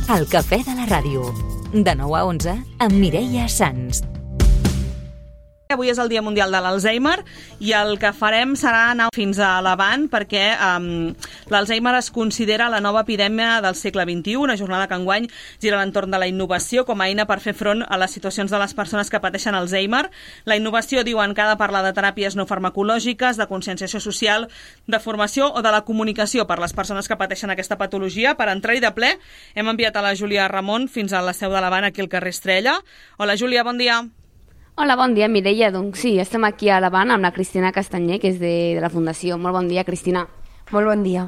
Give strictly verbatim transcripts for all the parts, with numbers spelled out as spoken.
El cafè de la ràdio. De nou a onze amb Mireia Sans. Avui és el Dia Mundial de l'Alzheimer i el que farem serà anar fins a l'avant perquè um, l'Alzheimer es considera la nova epidèmia del segle vint-i-u, una jornada que enguany gira a l'entorn de la innovació com a eina per fer front a les situacions de les persones que pateixen Alzheimer. La innovació, diuen, que ha de parlar de teràpies no farmacològiques, de conscienciació social, de formació o de la comunicació per les persones que pateixen aquesta patologia. Per entrar-hi de ple hem enviat a la Júlia Ramon fins a la seu de l'Avant, aquí al carrer Estrella. Hola, Júlia, bon dia. Hola, bon dia, Mireia. Doncs sí, estem aquí a l'Avant amb la Cristina Castanyer, que és de, de la Fundació. Molt bon dia, Cristina. Molt bon dia.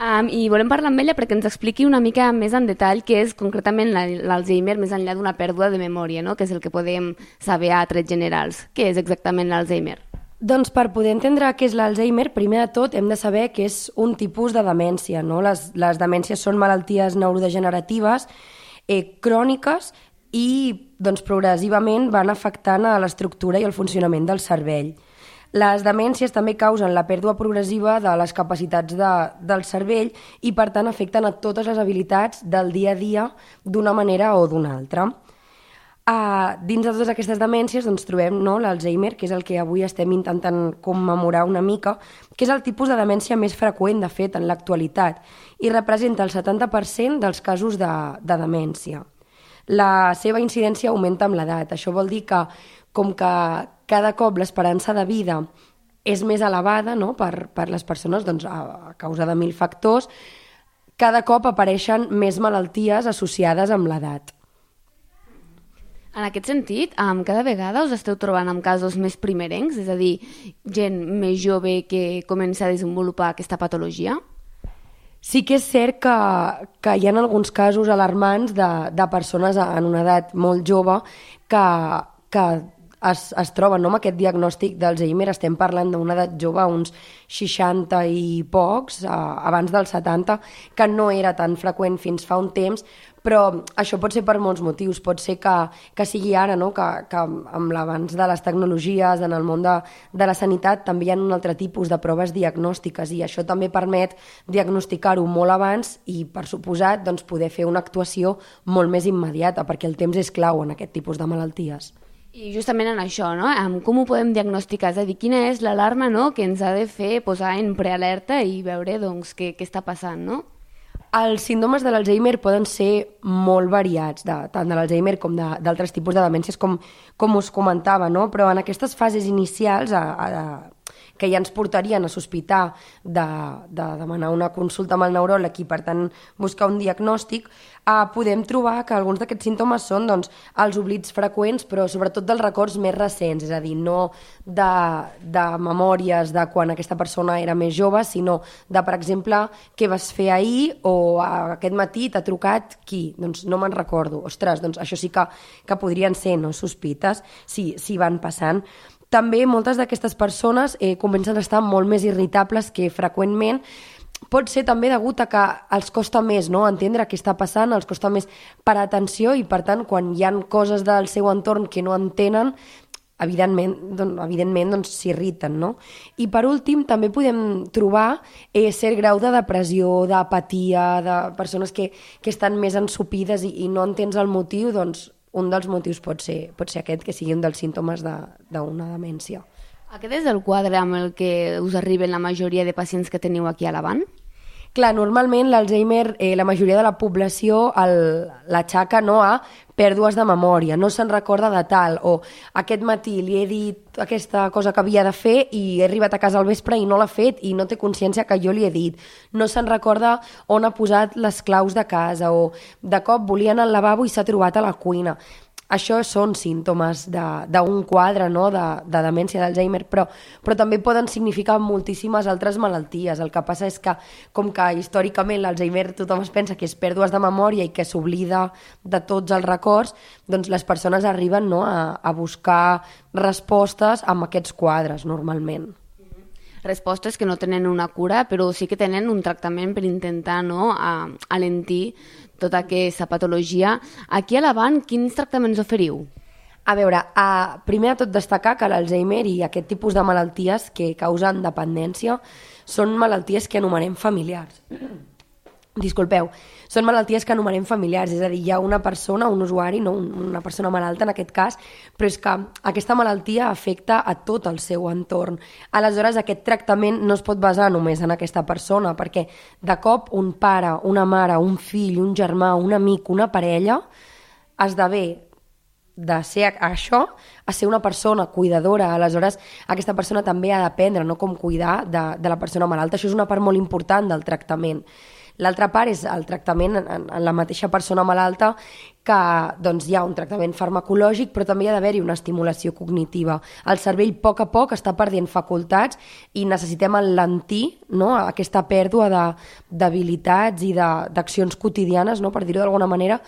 Um, I volem parlar amb ella perquè ens expliqui una mica més en detall què és concretament l'Alzheimer més enllà d'una pèrdua de memòria, no? Que és el que podem saber a trets generals. Què és exactament l'Alzheimer? Doncs per poder entendre què és l'Alzheimer, primer de tot hem de saber que és un tipus de demència, no? Les, les demències són malalties neurodegeneratives eh, cròniques i doncs, progressivament van afectant a l'estructura i el funcionament del cervell. Les demències també causen la pèrdua progressiva de les capacitats de, del cervell i, per tant, afecten a totes les habilitats del dia a dia d'una manera o d'una altra. Uh, dins de totes aquestes demències doncs, trobem no, l'Alzheimer, que és el que avui estem intentant commemorar una mica, que és el tipus de demència més freqüent, de fet, en l'actualitat, i representa el setanta per cent dels casos de, de demència. La seva incidència augmenta amb l'edat. Això vol dir que, com que cada cop l'esperança de vida és més elevada, no? per, per les persones doncs, a, a causa de mil factors, cada cop apareixen més malalties associades amb l'edat. En aquest sentit, um, cada vegada us esteu trobant amb casos més primerencs, és a dir, gent més jove que comença a desenvolupar aquesta patologia? Sí que és cert que, que hi ha alguns casos alarmants de, de persones en una edat molt jove que, que es, es troben no, amb aquest diagnòstic d'Alzheimer. Estem parlant d'una edat jove, uns seixanta i pocs, eh, abans dels setanta, que no era tan freqüent fins fa un temps, però això pot ser per molts motius. Pot ser que, que sigui ara, no? que, que amb l'avanç de les tecnologies, en el món de, de la sanitat, també hi ha un altre tipus de proves diagnòstiques i això també permet diagnosticar-ho molt abans i, per suposat, doncs, poder fer una actuació molt més immediata, perquè el temps és clau en aquest tipus de malalties. I justament en això, no? Com ho podem diagnosticar? És a dir, quina és l'alarma, no?, que ens ha de fer posar en prealerta i veure doncs, què, què està passant, no? Els símptomes de l'Alzheimer poden ser molt variats, de, tant de l'Alzheimer com d'altres tipus de demències, com, com us comentava, no? Però en aquestes fases inicials a, a, que ja ens portarien a sospitar de, de demanar una consulta amb el neuròleg i, per tant, buscar un diagnòstic, eh, podem trobar que alguns d'aquests símptomes són doncs, els oblits freqüents, però sobretot dels records més recents, és a dir, no de, de memòries de quan aquesta persona era més jove, sinó de, per exemple, què vas fer ahir o aquest matí t'ha trucat qui? Doncs no me'n recordo. Ostres, doncs això sí que, que podrien ser no, sospites si, si van passant. També moltes d'aquestes persones eh, comencen a estar molt més irritables que freqüentment. Pot ser també degut a que els costa més no? entendre què està passant, els costa més parar atenció i, per tant, quan hi ha coses del seu entorn que no entenen, evidentment, doncs, evidentment doncs, s'irriten. No? I, per últim, també podem trobar eh, cert grau de depressió, d'apatia, de persones que, que estan més ensopides i, i no entens el motiu, doncs, un dels motius pot ser, pot ser aquest, que sigui un dels símptomes d'una demència. Aquest és el quadre amb el que us arriben la majoria de pacients que teniu aquí a l'Avant? Clar, normalment l'Alzheimer, eh, la majoria de la població l'atxaca no, a pèrdues de memòria, no se'n recorda de tal, o aquest matí li he dit aquesta cosa que havia de fer i he arribat a casa al vespre i no l'ha fet i no té consciència que jo li he dit. No se'n recorda on ha posat les claus de casa o de cop volia anar al lavabo i s'ha trobat a la cuina. Això són símptomes d'un quadre no? de, de demència d'Alzheimer, però, però també poden significar moltíssimes altres malalties. El que passa és que, com que històricament l'Alzheimer tothom es pensa que és pèrdues de memòria i que s'oblida de tots els records, doncs les persones arriben no? a, a buscar respostes amb aquests quadres, normalment. Respostes que no tenen una cura, però sí que tenen un tractament per intentar no, a, alentir tota aquesta patologia. Aquí a l'Avant, quins tractaments oferiu? A veure, a, primer de tot destacar que l'Alzheimer i aquest tipus de malalties que causen dependència són malalties que anomenem familiars. Disculpeu, són malalties que anomenem familiars, és a dir, hi ha una persona, un usuari, no una persona malalta en aquest cas, però és que aquesta malaltia afecta a tot el seu entorn. Aleshores, aquest tractament no es pot basar només en aquesta persona, perquè de cop un pare, una mare, un fill, un germà, un amic, una parella, esdevé de ser això a ser una persona cuidadora. Aleshores, aquesta persona també ha d'aprendre, no, com cuidar de, de la persona malalta. Això és una part molt important del tractament. L'altra part és el tractament en, en la mateixa persona malalta, que doncs, hi ha un tractament farmacològic, però també hi ha d'haver-hi una estimulació cognitiva. El cervell, a poc a poc, està perdent facultats i necessitem alentir, no, aquesta pèrdua d'habilitats i d'accions quotidianes, no, per dir-ho d'alguna manera,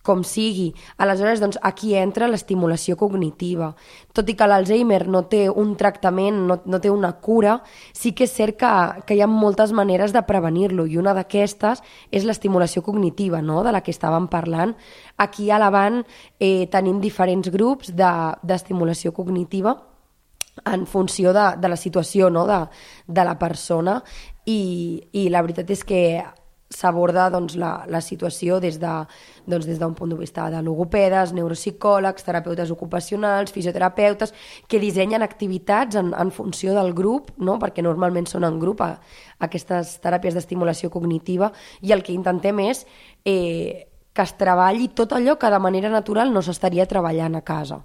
com sigui. Aleshores, doncs, aquí entra l'estimulació cognitiva. Tot i que l'Alzheimer no té un tractament, no, no té una cura, sí que és cert que, que hi ha moltes maneres de prevenir-lo, i una d'aquestes és l'estimulació cognitiva, no?, de la que estàvem parlant. Aquí a l'Avant eh, tenim diferents grups d'estimulació de, cognitiva en funció de, de la situació, no?, de, de la persona, i, i la veritat és que s'aborda, doncs, la, la situació des de, doncs, des d'un punt de vista de logopedes, neuropsicòlegs, terapeutes ocupacionals, fisioterapeutes, que dissenyen activitats en, en funció del grup, no? Perquè normalment són en grup a, a aquestes teràpies d'estimulació cognitiva, i el que intentem és eh, que es treballi tot allò que de manera natural no s'estaria treballant a casa.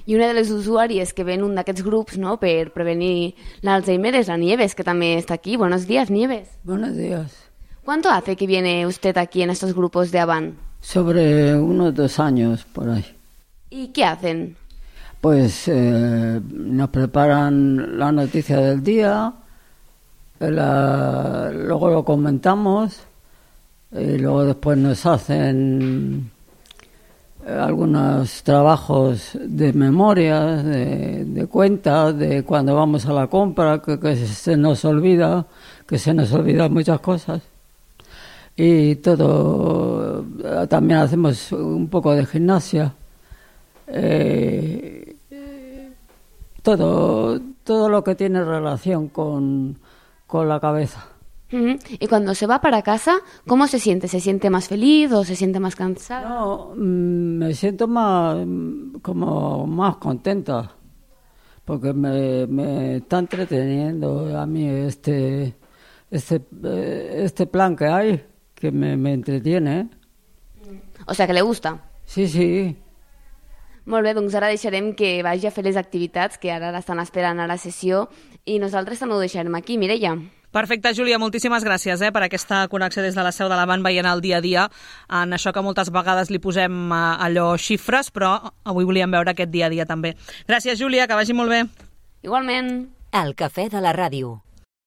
I una de les usuàries que ven un d'aquests grups, no, per prevenir l'Alzheimer és la Nieves, que també està aquí. Buenos días, Nieves. Buenos días. ¿Cuánto hace que viene usted aquí en estos grupos de Avant? Sobre unos dos años, por ahí. ¿Y qué hacen? Pues eh, nos preparan la noticia del día, la, luego lo comentamos, y luego después nos hacen algunos trabajos de memoria, de, de cuentas, de cuando vamos a la compra, que, que se nos olvida, que se nos olvidan muchas cosas. Y todo, también hacemos un poco de gimnasia, eh, todo, todo lo que tiene relación con, con la cabeza. Uh-huh. Y cuando se va para casa, ¿cómo se siente? ¿Se siente más feliz o se siente más cansada? No, me siento más, como más contenta, porque me, me está entreteniendo a mí este, este, este plan que hay, que me, me entretiene. O sea, que le gusta. Sí, sí. Molt bé, doncs ara deixarem que vagi a fer les activitats que ara l'estan esperant a la sessió, i nosaltres també ho deixarem aquí. Mireia. Perfecte, Júlia, moltíssimes gràcies eh, per aquesta connexió des de la seu de l'Avant, veient el dia a dia en això que moltes vegades li posem eh, allò xifres, però avui volíem veure aquest dia a dia també. Gràcies, Júlia, que vagi molt bé. Igualment. El cafè de la ràdio.